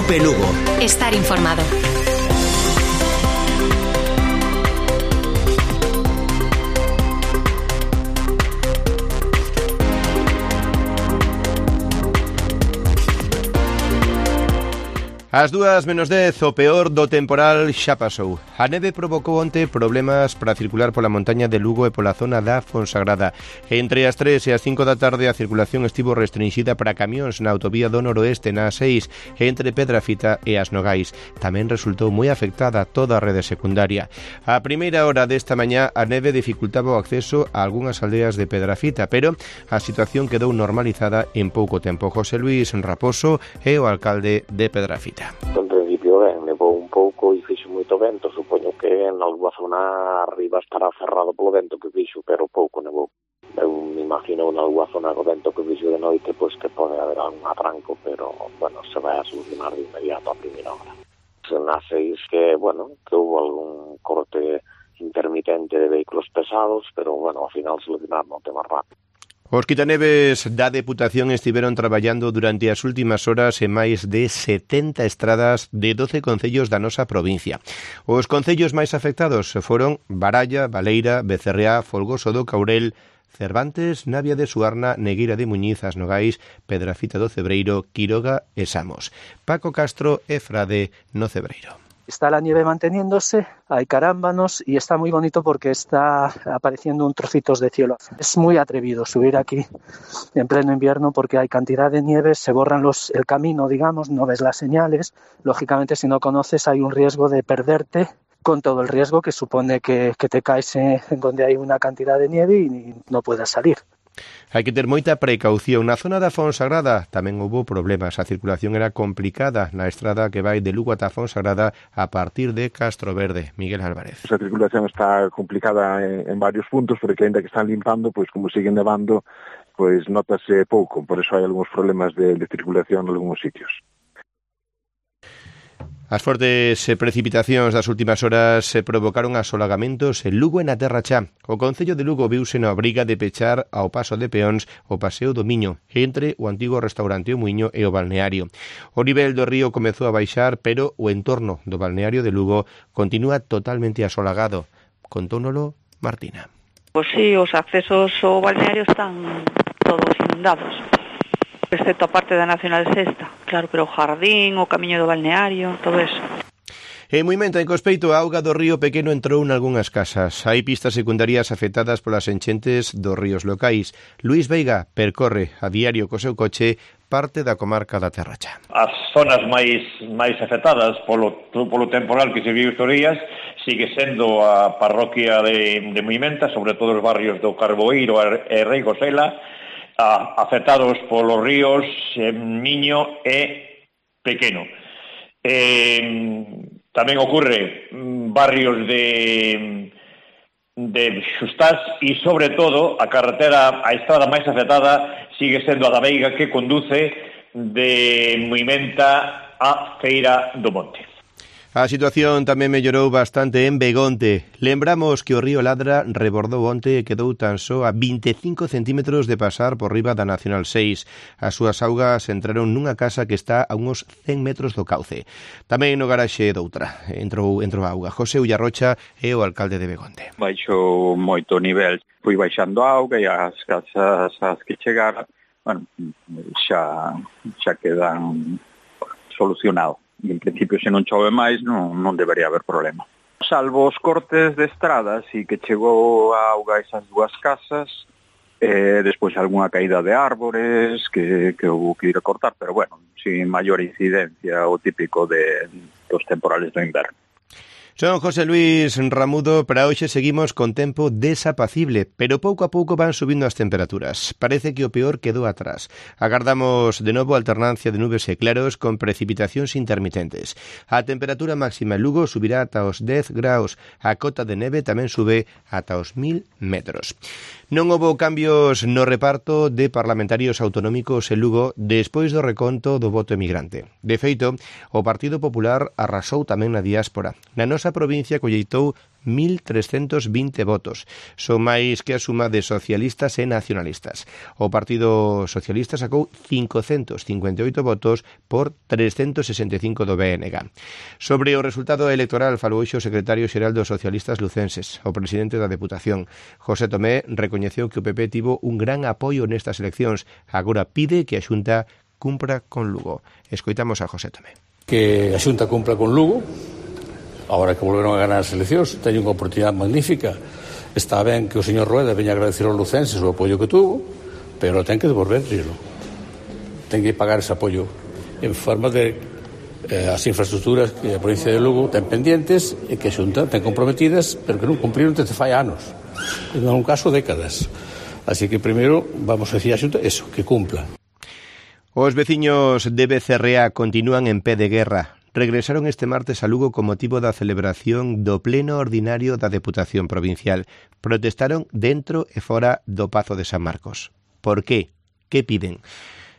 Cope Lugo. Estar informado. Ás 2:10, o peor do temporal xa pasou. A neve provocou onte problemas para circular pola montaña de Lugo e pola zona da Fonsagrada. Entre as 3 e as 5 da tarde a circulación estivo restringida para camións na autovía do noroeste na A6 entre Pedrafita e As Nogais. Tamén resultou moi afectada toda a rede secundaria. A primeira hora desta mañá a neve dificultaba o acceso a algunhas aldeas de Pedrafita, pero a situación quedou normalizada en pouco tempo. José Luis Raposo é o alcalde de Pedrafita. En principio ben, nevou un pouco e fixo moito vento, supoño que en alguma zona arriba estará cerrado polo vento que fixo, pero pouco nevou. Eu me imagino en alguma zona co vento que fixo de noite, pois que pode haber algún atranco, pero, bueno, se vai a solucionar de inmediato a primeira hora. Na 6 que, bueno, que hubo algún corte intermitente de vehículos pesados, pero, bueno, ao final solucionaron o tema rápido. Os quitaneves da Deputación estiveron traballando durante as últimas horas en máis de 70 estradas de 12 concellos da nosa provincia. Os concellos máis afectados foron Baralla, Baleira, Becerreá, Folgoso do Caurel, Cervantes, Navia de Suarna, Negueira de Muñiz, As Nogais, Pedrafita do Cebreiro, Quiroga e Samos. Paco Castro e Frade no Cebreiro. Está la nieve manteniéndose, hay carámbanos y está muy bonito porque está apareciendo un trocitos de cielo. Es muy atrevido subir aquí en pleno invierno porque hay cantidad de nieve, se borran el camino, digamos, no ves las señales. Lógicamente, si no conoces, hay un riesgo de perderte con todo el riesgo que supone que te caes en donde hay una cantidad de nieve y no puedas salir. Hai que ter moita precaución. Na zona da Fonsagrada tamén houve problemas. A circulación era complicada na estrada que vai de Lugo ata Fonsagrada a partir de Castroverde. Miguel Álvarez. A circulación está complicada en varios puntos, porque ainda que están limpando, pois como siguen nevando, pois notase pouco. Por eso hai algúns problemas de circulación en algúns sitios. As fortes precipitacións das últimas horas provocaron asolagamentos en Lugo e na Terra Chá. O Concello de Lugo viuse na obriga de pechar ao paso de peóns o Paseo do Miño, entre o antigo restaurante O Muiño e o balneario. O nivel do río comezou a baixar, pero o entorno do balneario de Lugo continúa totalmente asolagado. Contónolo Martina. Pois sí, os accesos ao balneario están todos inundados, excepto a parte da Nacional Sexta, claro, pero o jardín, o camiño do balneario, todo eso. En Muimenta, en Cospeito, a auga do río Pequeno entrou nalgunhas casas. Hai pistas secundarias afectadas polas enchentes dos ríos locais. Luís Veiga percorre a diario co seu coche parte da comarca da Terra Chá. As zonas máis afectadas polo temporal que se viu estes días sigue sendo a parroquia de Muimenta, sobre todo os barrios do Carboeiro e Rei Gosela, afectados polos ríos Miño e Pequeno. Tamén ocurre barrios de Xustás e, sobre todo, a estrada máis afectada sigue sendo a da Veiga, que conduce de Muimenta a Feira do Monte. A situación tamén mellorou bastante en Begonte. Lembramos que o río Ladra rebordou onte e quedou tan só a 25 centímetros de pasar por riba da Nacional 6. As súas augas entraron nunha casa que está a uns 100 metros do cauce. Tamén no garaxe doutra entrou a auga. José Ullarrocha é o alcalde de Begonte. Baixou moito o nivel, foi baixando a auga e as casas que chegaran, bueno, xa quedan solucionados. E, en principio, se non chove máis, non debería haber problema. Salvo os cortes de estradas e que chegou a auga esas dúas casas, despois algunha caída de árbores que houve que ir a cortar, pero bueno, sin maior incidencia, o típico dos temporales do inverno. Son José Luis Ramudo. Para hoxe seguimos con tempo desapacible, pero pouco a pouco van subindo as temperaturas. Parece que o peor quedou atrás. Agardamos de novo alternancia de nubes e claros con precipitacións intermitentes. A temperatura máxima en Lugo subirá ata os 10 graus. A cota de neve tamén sube ata os 1000 metros. Non houbo cambios no reparto de parlamentarios autonómicos en Lugo despois do reconto do voto emigrante. De feito, o Partido Popular arrasou tamén na diáspora. Na nosa nosa provincia colleitou 1.320 votos. Son máis que a suma de socialistas e nacionalistas. O Partido Socialista sacou 558 votos por 365 do BNG. Sobre o resultado electoral falou hoxe o secretario xeral dos socialistas lucenses. O presidente da Deputación, José Tomé, recoñeceu que o PP tivo un gran apoio nestas eleccións. Agora pide que a Xunta cumpra con Lugo. Escoitamos a José Tomé. Que a Xunta cumpra con Lugo. Ahora que volveron a ganar as eleccións, teñen unha oportunidade magnífica. Está ben que o señor Rueda veña a agradecer aos lucenses o apoio que tuvo, pero ten que devolverlo. Ten que pagar ese apoio en forma de as infraestructuras que a provincia de Lugo ten pendientes e que a Xunta ten comprometidas, pero que non cumpriron desde fai anos. En un caso, décadas. Así que primeiro vamos a decir a Xunta eso, que cumpla. Os veciños de Becerrea continúan en pé de guerra. Regresaron este martes a Lugo con motivo da celebración do pleno ordinario da Deputación Provincial. Protestaron dentro e fora do Pazo de San Marcos. Por qué? Que piden?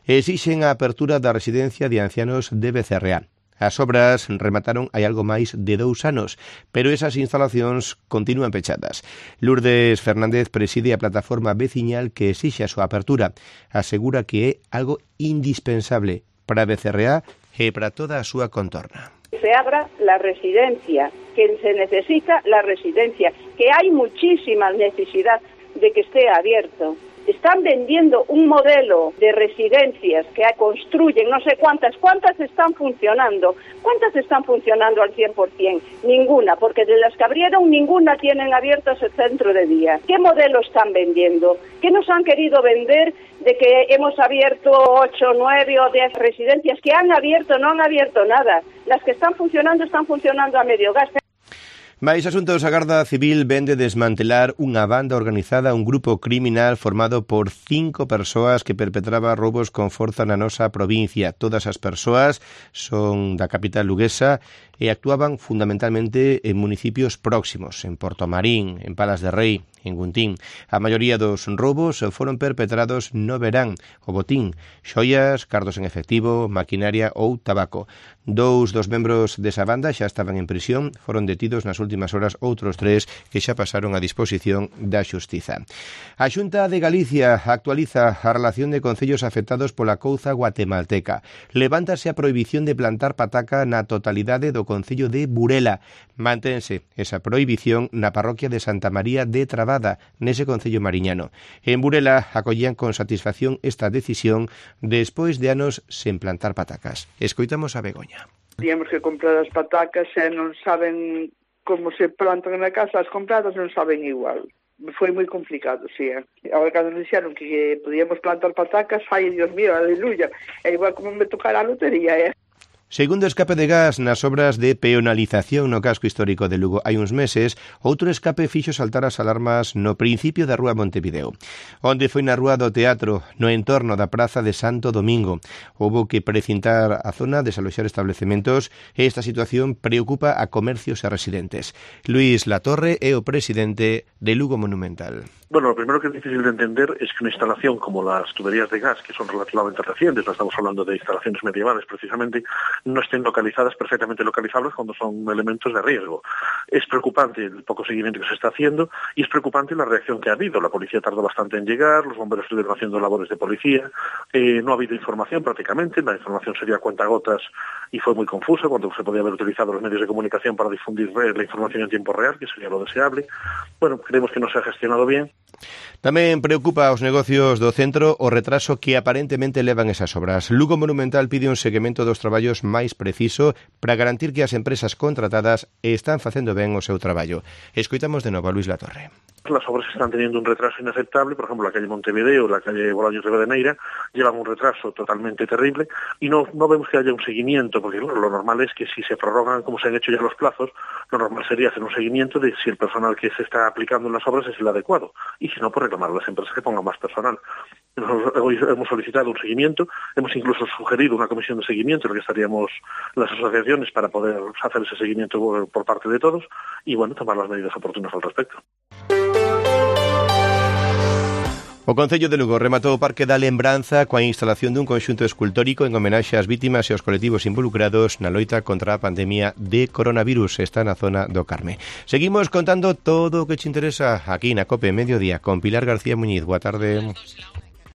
Exixen a apertura da residencia de ancianos de Becerrea. As obras remataron hai algo máis de 2 anos, pero esas instalacións continúan pechadas. Lourdes Fernández preside a plataforma veciñal que exixe a súa apertura. Asegura que é algo indispensable para Becerrea e para toda a súa contorna. Se abra la residencia, que se necesita la residencia, que hay muchísima necesidad de que esté abierto. Están vendiendo un modelo de residencias que construyen, no sé cuántas están funcionando. ¿Cuántas están funcionando al 100%? Ninguna, porque de las que abrieron, ninguna tienen abierto ese centro de día. ¿Qué modelo están vendiendo? ¿Qué nos han querido vender de que hemos abierto 8, 9 o 10 residencias? ¿Que han abierto? No han abierto nada. Las que están funcionando a medio gas. Mais asuntos, a Garda Civil vende desmantelar unha banda organizada, un grupo criminal formado por 5 persoas que perpetraba roubos con forza na nosa provincia. Todas as persoas son da capital luguesa e actuaban fundamentalmente en municipios próximos, en Portomarín, en Palas de Rei, en Guntín. A maioría dos roubos foron perpetrados no verán. O botín, xoias, cartos en efectivo, maquinaria ou tabaco. 2 dos membros desa banda xa estaban en prisión, foron detidos nas últimas horas outros 3 que xa pasaron a disposición da Xustiza. A Xunta de Galicia actualiza a relación de concellos afectados pola couza guatemalteca. Levántase a prohibición de plantar pataca na totalidade do concello de Burela. Mantense esa prohibición na parroquia de Santa María de Trabada, nese concello mariñano. En Burela acollían con satisfacción esta decisión despois de anos sen plantar patacas. Escoitamos a Begoña. Teníamos que comprar as patacas e non saben como se plantan na casa, as compradas non saben igual. Foi moi complicado, sí. Agora, cando nos dixeron que podíamos plantar patacas, ai, Dios mío, aleluya, é igual como me tocara a lotería, Segundo escape de gas nas obras de peonalización no casco histórico de Lugo hai uns meses, outro escape fixo saltar as alarmas no principio da rúa Montevideo. Onde foi na rúa do Teatro, no entorno da praza de Santo Domingo. Houbo que precintar a zona, desaloxar establecementos e esta situación preocupa a comercios e residentes. Luís Latorre é o presidente de Lugo Monumental. Bueno, lo primero que es difícil de entender es que una instalación como las tuberías de gas, que son relativamente recientes, no estamos hablando de instalaciones medievales precisamente, no estén localizadas, perfectamente localizables cuando son elementos de riesgo. Es preocupante el poco seguimiento que se está haciendo y es preocupante la reacción que ha habido. La policía tardó bastante en llegar, los bomberos estuvieron haciendo labores de policía, no ha habido información prácticamente, la información sería a cuentagotas y fue muy confusa cuando se podía haber utilizado los medios de comunicación para difundir la información en tiempo real, que sería lo deseable. Bueno, creemos que no se ha gestionado bien. Tamén preocupa aos negocios do centro o retraso que aparentemente levan esas obras. Lugo Monumental pide un seguimento dos traballos máis preciso para garantir que as empresas contratadas están facendo ben o seu traballo. Escoitamos de novo a Luís Latorre. Las obras están teniendo un retraso inaceptable, por ejemplo, la calle Montevideo, la calle Bolaños de Rivadeneira, llevan un retraso totalmente terrible y no vemos que haya un seguimiento, porque bueno, lo normal es que si se prorrogan como se han hecho ya los plazos, lo normal sería hacer un seguimiento de si el personal que se está aplicando en las obras es el adecuado y si no, pues reclamar a las empresas que pongan más personal. Hoy hemos solicitado un seguimiento, hemos incluso sugerido una comisión de seguimiento en la que estaríamos las asociaciones para poder hacer ese seguimiento por parte de todos y bueno, tomar las medidas oportunas al respecto. O Concello de Lugo rematou o Parque da Lembranza coa instalación dun conxunto escultórico en homenaxe ás vítimas e aos colectivos involucrados na loita contra a pandemia de coronavirus. Está na zona do Carme. Seguimos contando todo o que te interesa aquí na COPE Mediodía con Pilar García Muñiz. Boa tarde.